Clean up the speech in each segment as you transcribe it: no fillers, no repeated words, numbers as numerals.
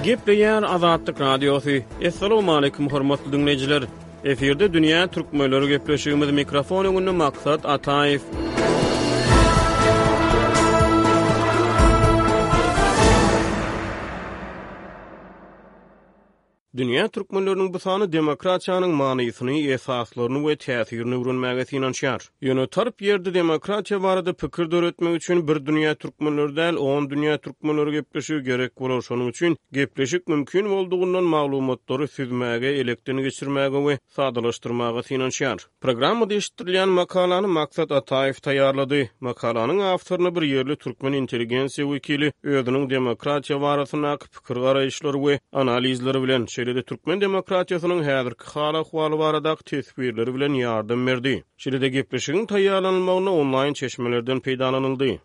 Gepleýär Azatlyk Radiosy. Assalamualaikum hormatly diňleýjiler. Efirde dünýä türkmenleri gepleşigimiz mikrofon öňünde Maksat Ataýew. Dünýä türkmenleriniň bu sany demokratiýanyň manysyny, esaslaryny we täsirini öwrenmäge synanyşýar. Ýöne tarp ýerde demokratiýa barada pikir döretmek üçin bir dünýä türkmenleri däl, on dünýä türkmenleri gepleşigi gerek bolar. Şonuň üçin gepleşik mümkin boldugyndan maglumatlary süzmäge, elekden geçirmäge we sadalaşdyrmaga synanyşýar. Programmada eşitdirilýän makalany Maksat Ataýew taýýarlady. Makalanyň awtoryna bir ýerli türkmen intelligensiýa wekili özüniň demokratiýa barasyndaky pikir-garaýyşlary we analizleri bilen, şeýle-de türkmen demokratiýasynyň häzirki hal-ahwaly baradaky teswirleri bilen ýardam berdi. Şeýle-de gepleşigiň taýýarlanylmagynda onlaýn çeşmelerden peýdalanyldy.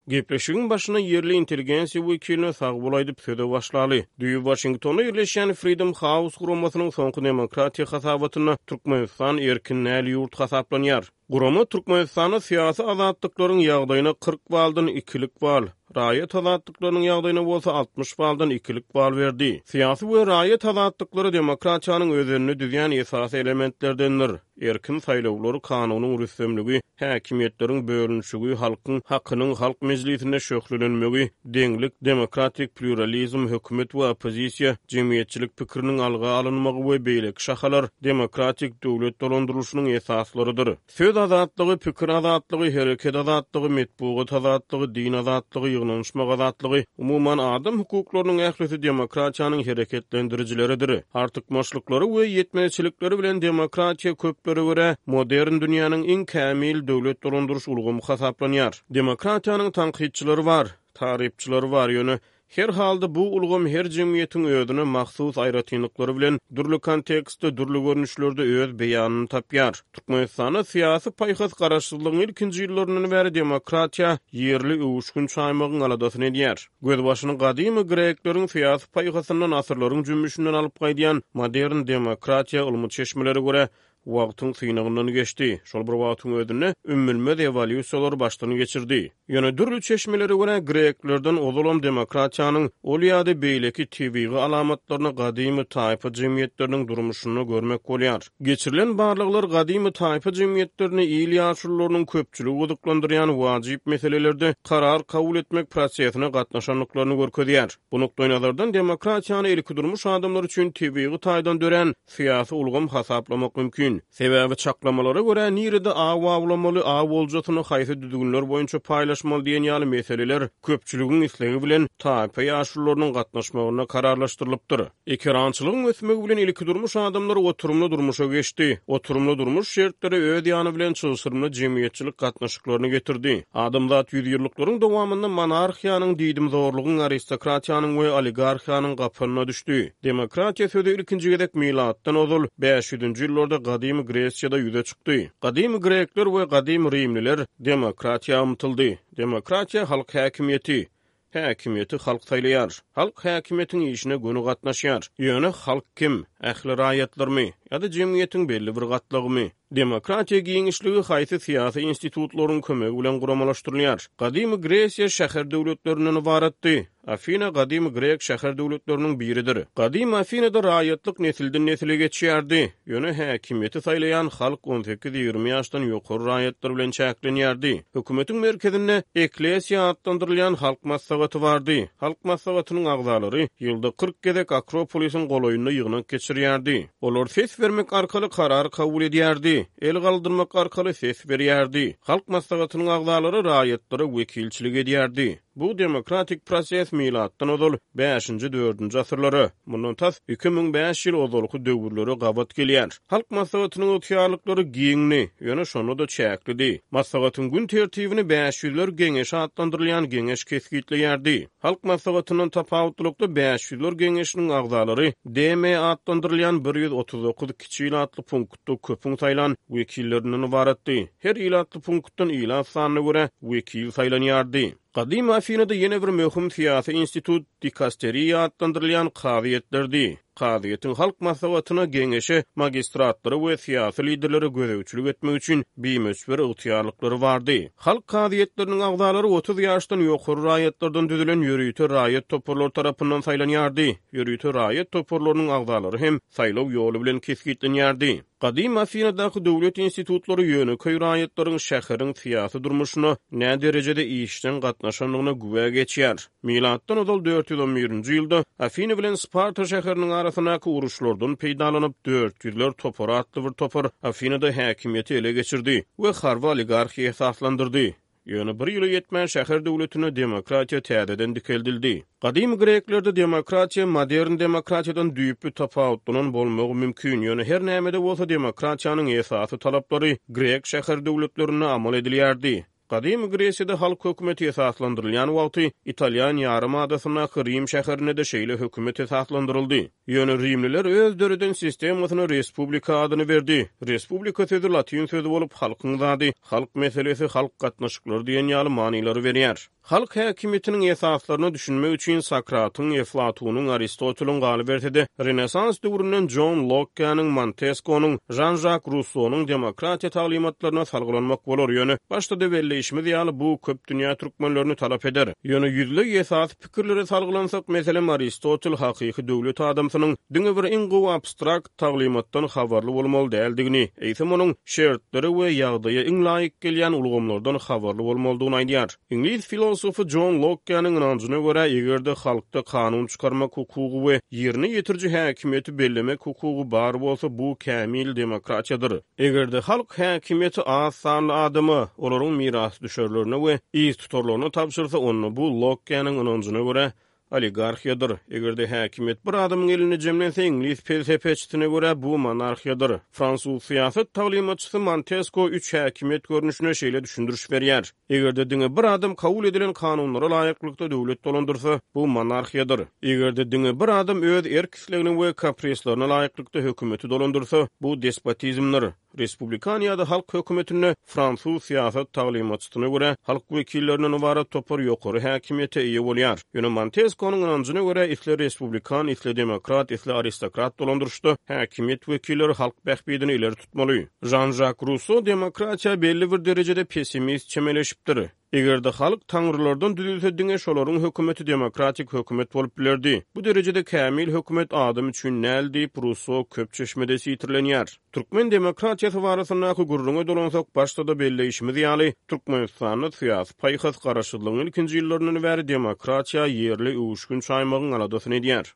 Gepleşigiň başynda ýerli intelligensiýa wekiline sag bol aýdyp söze başlaly. Düýbi Waşingtonda ýerleşýän Freedom House guramasynyň soňky demokratiýa hasabatynda Türkmenistan erkin däl ýurt hasaplanýar. Gurama Türkmenistanda syýasy azatlyklaryň ýagdaýyna 40 baldan ikilik bal, raýat azatlyklarynyň ýagdaýyna bolsa 60 baldan ikilik bal berdi. Syýasy we raýat azatlyklary demokratiýanyň özenini düzýän esasy elementlerdendir. Erkin saýlawlar, kanunyň rüstemligi, häkimiýetleriň bölünişigi, halkyň hakynyň Halk mejlisinde şöhlelenmegi, deňlik, demokratik plýuralizm, hökümet we oppozisiýa, jemgyýetçilik pikiriniň alga alynmagy we beýleki şahalar demokratik döwlet dolandyrylyşynyň esaslarydyr. Söz azatlygy, pikir azatlygy, hereket azatlygy, metbugat azatlygy, din azatlygy, ýygnanyşmak azatlygy, umuman, adam hukuklarynyň ählisi demokratiýanyň hereketlendirijileridir. Artykmaçlyklary we ýetmezçilikleri bilen demokratiýa köplere görä, modern dünýäniň iň kämil döwlet dolandyryş ulgamy hasaplanýar. Demokratiýanyň tankytçylary bar, tarypçylary bar, ýöne her halda bu ulgam her jemgyýetiň özüne mahsus aýratynlyklary bilen dürli kontekstde, dürli görnüşlerde öz beýanyny tapýar. Türkmenistanda syýasy paýhas garaşsyzlygyň ilkinji ýyllaryndan bäri demokratiýa ýerli öwüşgin çaýmagyň aladasyny edýär. Gözbaşyny gadymy grekleriň syýasy paýhasyndan asyrlaryň jümmüşinden alyp gaýdýan modern demokratiýa ylmy çeşmelere görä, wagtyň synagyndan geçdi, şol bir wagtyň özünde ümmülmez ewolýusiýalary başdan geçirdi. Ýöne dürli çeşmelere görä, greklerden ozalam demokratiýanyň ol ýa-da beýleki tebigy alamatlaryny gadymy taýpa jemgyýetleriniň durmuşynda görmek bolýar. Geçirilen barlaglar gadymy taýpa jemgyýetlerini il ýaşulularynyň köpçüligi gyzyklandyrýan wajyp meselelerde karar kabul etmek prosesine gatnaşandyklaryny görkezýär. Bu nukdaýnazardan demokratiýany ilkidurmuş adamlar üçin tebigy taýdan dörän syýasy ulgam hasaplamak mümkin. Sebäbi çaklamalara görä, nirede aw awlamaly, aw oljasyny haýsy düzgünler boýunça paýlaşmaly diýen ýaly meseleler köpçüligiň islegi bilen taýpa ýaşulularynyň gatnaşmagynda kararlaşdyrylypdyr. Ekerançylygyň ösmegi bilen ilkidurmuş adamlary oturymly durmuşa geçdi. Oturymly durmuş şertleri öz ýany bilen çylşyrymly jemgyýetçilik gatnaşyklaryny getirdi. Adamzat ýüzýyllyklaryň dowamynda monarhiýanyň, diýdimzorlugyň, aristokratiýanyň we oligarhiýanyň gapanyna düşdi. Demokratiýa sözi ilkinji gezek milatdan ozal bäş ýüzünji ýyllarda gadymy Gresiýada ýüze çykdy. Gadymy grekler we gadymy rimliler demokratiýa ymtyldy. Demokratiýa halk häkimiýeti. Häkimiýeti halk saýlaýar. Halk häkimiýetiň işine göni gatnaşýar. Ýöne halk kim? Ähli raýatlarmy? Ýa-da jemgyýetiň belli bir gatlagymy? Demokratiýa giňişligi haýsy syýasy institutlaryň kömegi bilen guramalaşdyrylýar? Gadymy Gresiýa şäher döwletlerinden ybaratdy. Afina gadymy grek şäher döwletleriniň biridir. Gadymy Afinada raýatlyk nesilden-nesile geçýärdi. Ýöne häkimiýeti saýlaýan halk on sekiz-ýigrimi ýaşdan ýokary raýatlar bilen çäklenýärdi. Hökümetiň merkezinde Eklesiýa atlandyrylýan halk maslahaty bardy. Halk maslahatynyň agzalary ýylda 40 gezek Akropolisiň golaýynda ýygnak geçirýärdi. Olar ses bermek arkaly karar kabul edýärdi, el galdyrmak arkaly ses berýärdi. Halk maslahatynyň agzalary raýatlara wekilçilik edýärdi. Bu demokratik proses milatdan ozal bäşinji-dördünji asyrlara, mundan tas 2005 ýyl ozalky döwürlere gabat gelýär. Halk Maslahatynyň ygtyýarlyklary giňdi, ýöne şonda-da çäklidi. Maslahatyň gün tertibini Bäşýüzler geňeşi atlandyrylýan geňeş kesgitleýärdi. Halk Maslahatyndan tapawutlylykda Bäşýüzler geňeşiniň agzalary DM atlandyrylýan 139 kiçi ilatly punktda köpüň saýlan wekillerinden ybaratdy. Her ilatly punktdan ilat sanyna görä wekil saýlanýardy. Gadymy Afinada ýene bir möhüm syýasy institut. dikasteriýa atlandyrylýan kazyýetlerdi. Kazyýetiň halk maslahatyna, geňeşe, magistratlara we syýasy liderlere gözegçilik etmek üçin bimöçber ygtyýarlyklary bardy. Halk kazyýetleriniň agzalary 30 ýaşdan ýokary raýatlardan düzülen ýörite raýat toparlary tarapyndan saýlanýardy. Ýörite raýat toparlarynyň agzalary hem saýlaw ýoly bilen kesgitlenýärdi. Gadymy Afinadaky döwlet institutlary ýönekeý raýatlaryň şäheriň syýasy durmuşyna näderejede işjeň gatnaşandygyna güwä geçýär. Milatdan ozal 411-nji ýylda Afina bilen Sparta şäheriniň arasyndaky uruşlardan peýdalanyp, dört ýüzler topary atly bir topar Afinada häkimiýeti ele geçirdi we harby oligarhiýa esaslandyrdy. Ýöne bir ýyla ýetmän şäher döwletinde demokratiýa täzeden dikeldildi. Gadymy greklerde demokratiýa modern demokratiýadan düýpli tapawutlanan bolmagy mümkin, ýöne her näme-de bolsa demokratiýanyň esasy talaplary grek şäher döwletlerinde amal edilýärdi. Gadymy Gresiýada halk hökümeti esaslandyrylýan wagty Italýan ýarym adasyndaky Rim şäherinde-de şeýle hökümet esaslandyryldy. Ýöne rimliler öz döreden sistemasyna respublika adyny berdi. Respublika sözi latyn sözi bolup, halkyň zady, halk meselesi, halk gatnaşyklary diýen ýaly manylary berýär. Halk häkimiýetiniň esaslaryna düşünmek üçin Sokratyň, Eflatunyň, Aristoteliň, galyberse-de, Renessans döwründen Jon Lokkäniň, Monteskonyň, Žan-Žak Russonyň demokratiýa taglymatlaryna salgylanmak bolar, ýöne başda-da belleýşimiz ýaly, bu köp dünýä türkmenlerini talap eder. Ýöne ýüzleý esasy Pikirlere salgylansak, meselem, Aristotel hakyky döwlet adamsynyň diňe bir iň gowy abstrakt taglymatdan habarly bolmaly däldigini, eýsem onuň şertlere we ýagdaýa iň laýyk gelýän ulgamlardan habarly bolmalydygyny aýdýar. Iňlis filosofy Jon Lokkäniň ynanjyna görä, eger-de halkda kanun çykarmak hukugy we ýerine ýetiriji häkimiýeti bellemek hukugy bar bolsa, bu kämil demokratiýadyr. Eger-de halk häkimiýeti az sanly adama, olaryň mirasdüşerlerine we yztutarlaryna tabşyrsa, onda bu Lokkäniň ynanjyna görä, oligarhiýadyr. Eger-de häkimiýet bir adamyň elinde jemlense, iňlis pelsepeçisine görä, bu monarhiýadyr. Fransuz syýasat taglymatçysy Montesko üç häkimiýet görnüşine şeýle düşündiriş berýär, Eger-de diňe bir adam kabul edilen kanunlara laýyklykda döwlet dolandyrsa, bu monarhiýadyr. Eger-de diňe bir adam öz erk-islegine we kaprislerine laýyklykda hökümeti dolandyrsa, bu despotizmdir. Respublikan ýa-da halk hökümetinde, fransuz syýasat taglymatçysyna görä, halk wekillerinden ybarat topar ýokary häkimiýete eýe bolýar. Ýöne Monteskonyň ynanjyna görä, isle respublikan, isle demokrat, isle aristokrat dolandyryşda häkimiýet wekilleri halk bähbidini ileri tutmaly. Žan-Žak Russo demokratiýa belli bir derejede pessimist çemeleşipdir. Eger-de halk taňrylardan düzülse diňe şolaryň hökümeti demokratik hökümet bolup bilerdi. Bu derejede kämil hökümet adam üçin däl diýip Russo köp çeşmede sitirlenýär. Türkmen demokratiýasy barasyndaky gürrüňe dolansak başda-da belleýşimiz ýaly, Türkmenistanda syýasy paýhas garaşsyzlygyň ilkinji ýyllaryndan bäri demokratiýa ýerli öwüşgin çaýmagyň aladasyny edýär.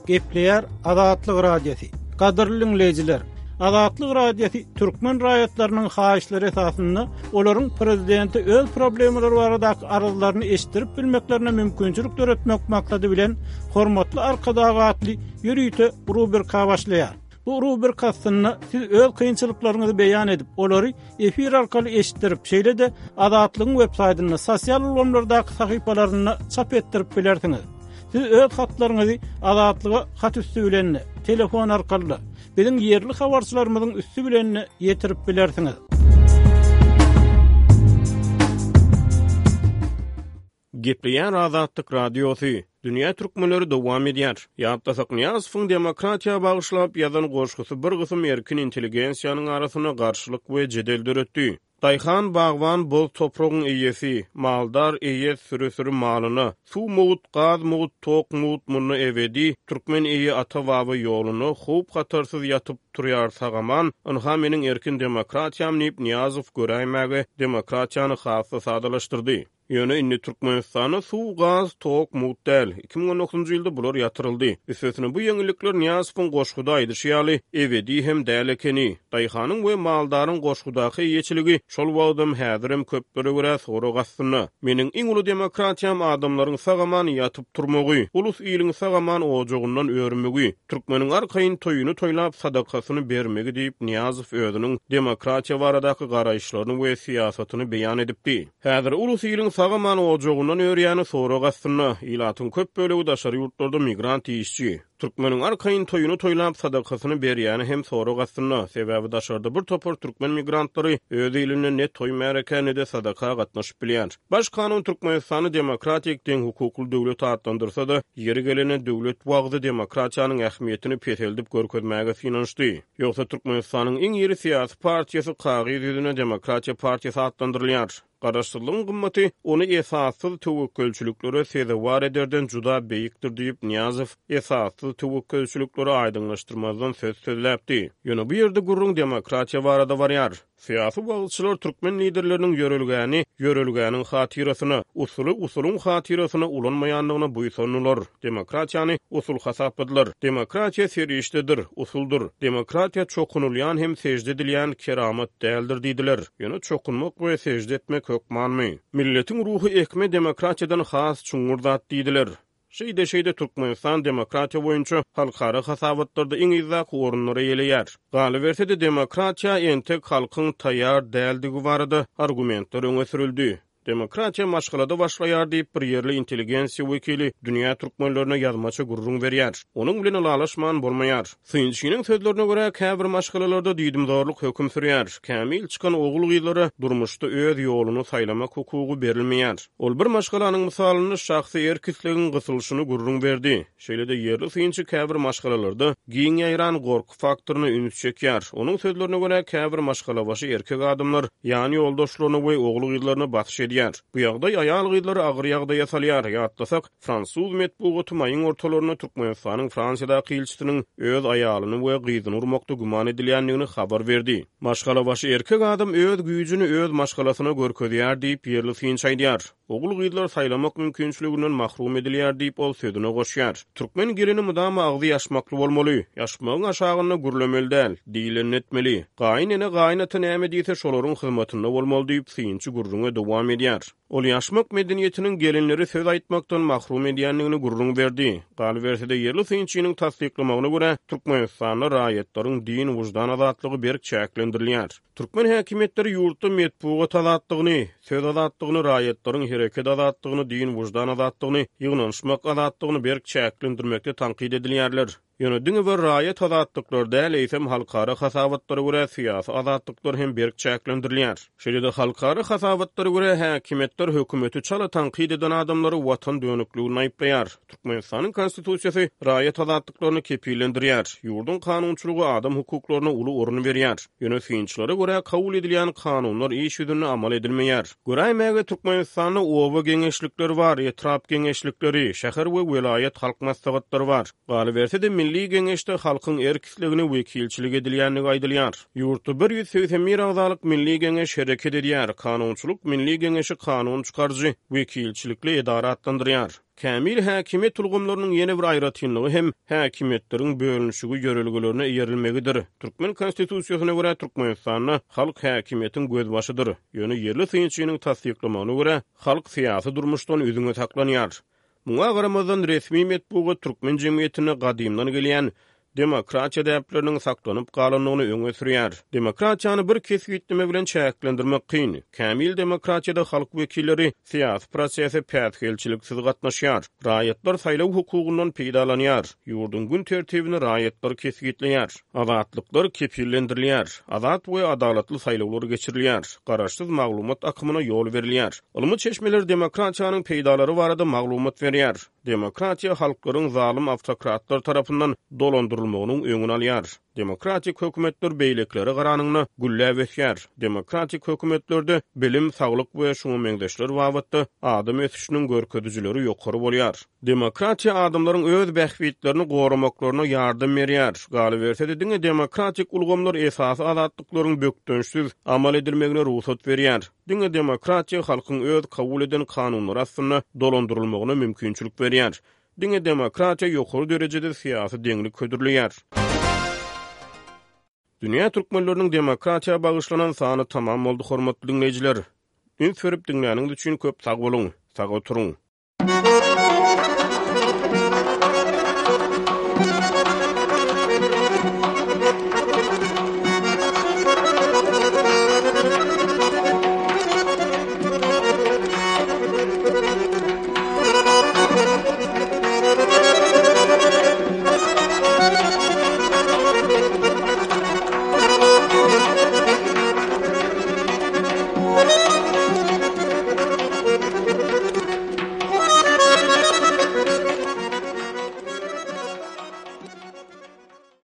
Gepleýär Azatlyk Radiosy. Gadyrly diňleýjiler! Azatlyk Radiosy türkmen raýatlarynyň haýyşlary esasynda olaryň prezidente öz problemalary baradaky arzlaryny eşitdirip bilmeklerine mümkinçilik döretmek maksady bilen Hormatly Arkadag atly ýörite rubrika başlaýar. Bu rubrika astynda siz öz kynçylyklaryňyzy beýan edip, olary efir arkaly eşitdirip, şeýle-de Azatlygyň websaýtynda, sosial ulgamlardaky sahypalarynda çap etdirip bilersiňiz. Siz öz hatlaryňyzy Azatlyga hat üsti bilen-de, telefon arkaly-da, biziň ýerli habarçylarymyzyň üsti bilen-de ýetirip bilersiňiz. Gepleýär Azatlyk Radiosy, Dünýä türkmenleri dowam edýär. Ýatlasak Nyýazowyň demokratiýa bagyşlap ýazan goşgusy bir gysym erkin intelligensiýanyň arasynda garşylyk we jedel döretdi. Daýhan, bagban boz topragyň eýesi, maldar eýe süri-süri malyna, suw mugt, gaz mugt, tok mugt munda ebedi, türkmen eýe ata-baba ýoluna, howp-hatarsyz ýatyp, turýar sag-aman, ynha meniň erkin demokratiýam diýip Nyýazow göräýmäge demokratiýany has-da sadalaşdyrdy. Ýöne indi Türkmenistanda suw, gaz, tok mugt däl. 2019-njy ýylda bular ýatyryldy. Üstesine bu ýeňillikler Nyýazowyň goşguda aýdyşy ýaly, ebedi hem däl ekeni. Daýhanyň we maldaryň goşgudaky eýeçiligi şol wagtam, häzirem köplere görä sorag astynda. Meniň iň uly demokratiýam adamlaryň sag-aman ýatyp-turmagy, ulus-iliň sag-aman ojagyndan örmegi, türkmeniň arkaýyn toýuny toýlap, sadakasyny bermegi diýip, Nyýazow özüniň demokratiýa baradaky garaýyşlaryny we syýasatyny beýan edipdi. Häzir ulus-iliň. sag-aman ojagyndan örýäni sorag astynda. Ilatyň köp bölegi daşary ýurtlarda migrant işçi. Türkmeniň arkaýyn toýuny toýlap, sadakasyny berýäni hem sorag astynda. Sebäbi daşarda bir topar türkmen migrantlary öz ilinde ne toý-märekä, ne-de sadaka gatnaşyp bilýär. Baş kanun Türkmenistany demokratik, deňhukukly döwlet atlandyrsa-da, ýeri gelende döwlet wagzy demokratiýanyň ähmiýetini peseldip görkezmäge synanyşdy. Ýogsa Türkmenistanyň iň iri syýasy partiýasy kagyz ýüzünde Demokratiýa partiýasy atlandyrylýar. Garaşsyzlygyň gymmaty ony esassyz töwekgelçiliklere sezewar ederden juda beýikdir diýip, Nyýazow esassyz töwekgelçilikleri aýdyňlaşdyrmazdan söz sözläpdi. Ýöne bu ýerde gürrüň demokratiýa barada barýar. Syýasy wagyzçylar türkmen liderleriniň ýörelgäni ýörelgäniň hatyrasyna, usuly usulyň hatyrasyna ulanmaýandygyna buýsandylar, demokratiýany usul hasapladylar. Demokratiýa serişdedir, usuldyr. Demokratiýa çokunylýan hem sežde edilýän keramat däldir diýdiler. Ýöne çokunmak we sežde etmek hökmanmy? Milletiň ruhy ekme demokratiýadan has çuňňur zat diýdiler. Şeýde-şeýde Türkmenistan demokratiýa boýunça halkara hasabatlarda iň yzdaky orunlary eýeleýär. Galyberse-de demokratiýa entek halkyň taýýar däldigi barada argumentler öňe sürüldi. Demokratiýa maşgalada başlaýar diýip, bir ýerli intelligensiýa wekili dünýä türkmenlerine ýazmaça gürrüň berýär. Onuň bilen ylalaşman bolmaýar. Synçynyň sözlerine görä, käbir maşgalalarda diýdimzorluk höküm sürýär. Kämil çykan ogul-gyzlara durmuşda öz ýoluny saýlamak hukugy berilmeýär. Ol bir maşgalanyň mysalynda şahsy erk-islegiň gysylyşyny gürrüň berdi. Şeýle-de ýerli synçy käbir maşgalalarda giň ýaýran gorky faktoryna üns çekýär. Onuň sözlerine görä, käbir maşgalabaşy erkek adamlar ýan ýoldaşlaryna we ogul-gyzlaryna basyş edýär. Bu ýagdaý aýal-gyzlary agyr ýagdaýa salýar. Ýatlasak, fransuz metbugaty maýyň ortalarynda Türkmenistanyň Fransiýadaky ilçisiniň öz aýalyny we gyzyny urmakda güman edilýändigini habar berdi. Maşgalabaşy erkek adam öz güýjüni öz maşgalasyna görkezýär diýip, ýerli synçy aýdýar. Ogul-gyzlar saýlamak mümkinçiliginden mahrum edilýär diýip, ol sözüne goşýar. Türkmen gelini mydama agzy ýaşmakly bolmaly. Ýaşmagyň aşagynda gürlemeli däl, diýlenini etmeli. Gaýyn ene, gaýyn ata näme diýse, şolaryň hyzmatynda bolmaly diýip, synçy gürrüňe dowam edýär. Ol ýaşmak medeniýetiniň gelinleri söz aýtmakdan mahrum edýändigini gürrüň berdi. Galyberse-de, ýerli synçynyň tassyklamagyna görä, Türkmenistanda raýatlaryň din-wyždan azatlygy berk çäklendirilýär. Türkmen häkimiýetleri ýurtda metbugat azatlygyny, söz azatlygyny, raýatlaryň hereket azatlygyny, din-wyždan azatlygyny, ýygnanyşmak azatlygyny berk çäklendirmekde tankyt edilýärler. Ýöne diňe bir raýat azatlyklary däl, eýsem halkara hasabatlara görä syýasy azatlyklar hem berk çäklendirilýär. Şeýle-de halkara hasabatlara görä häkimiýetler hökümeti çala tankyt eden adamlary watan dönükliginde aýyplaýar. Türkmenistanyň Konstitusiýasy raýat azatlyklaryny kepillendirýär. Ýurduň kanunçylygy adam hukuklaryna uly orun berýär. Ýöne synçylara görä, kabul edilýän kanunlar iş ýüzünde amal edilmeýär. Göräýmäge Türkmenistanda oba geňeşlikleri bar, etrap geňeşlikleri, şäher we welaýat halk maslahatlary bar. Galyberse-de, Milli Geňeşde halkyň erk-islegine wekilçilik edilýändigi aýdylýar. Ýurtda 181 agzalyk Milli Geňeş hereket edýär. Kanunçylyk Milli Geňeşi kanun çykaryjy, wekilçilikli edara atlandyrýar. Kämil häkimiýet ulgamlarynyň ýene bir aýratynlygy hem häkimiýetleriň bölünişigi ýörelgelerine eýerilmegidir. Türkmen Konstitusiýasyna görä, Türkmenistanda halk häkimiýetiň gözbaşydyr. Ýöne ýerli synçynyň tassyklamagyna görä, halk syýasy durmuşdan üzňe saklanýar. Muňa garamazdan, resmi metbugat türkmen jemgyýetinde gadymdan gelýän demokratiýa däpleriniň saklanyp galandygyny öňe sürýär. Demokratiýany bir kesgitleme bilen çäklendirmek kyn. Kämil demokratiýada halk wekilleri syýasy prosese päsgelçiliksiz gatnaşýar. Raýatlar saýlaw hukugyndan peýdalanýar. Ýurduň gün tertibini raýatlar kesgitleýär. Azatlyklar kepillendirilýär. Azat we adalatly saýlawlar geçirilýär. Garaşsyz maglumat akymyna ýol berilýär. Ylmy çeşmeler demokratiýanyň peýdalary barada maglumat berýär. Demokratiýa halklaryň zalym awtokratlar tarapyndan dolandyrylmagynyň öňüni alýar. Demokratik hökümetler beýlekilere garanyňda gülläp ösýär. Demokratik hökümetlerde bilim, saglyk we şuňa meňzeşler babatda adam ösüşiniň görkezijileri ýokary bolýar. Demokratiýa adamlaryň öz bähbitlerini goramaklaryna ýardam berýär. Galyberse-de diňe demokratik ulgamlar esasy azatlyklaryň bökdençsiz amal edilmegine rugsat berýär. Diňe demokratiýa halkyň öz kabul eden kanunlary astynda dolandyrylmagyna mümkinçilik berýär. Diňe demokratiýa ýokary derejede syýasy deňlik hödürleýär. Dünýä türkmenleriniň demokratiýa bagyşlanan sany tamam boldy hormatly diňleýjiler. Üns berip diňläniňiz üçin köp sag boluň. Sag oturyň.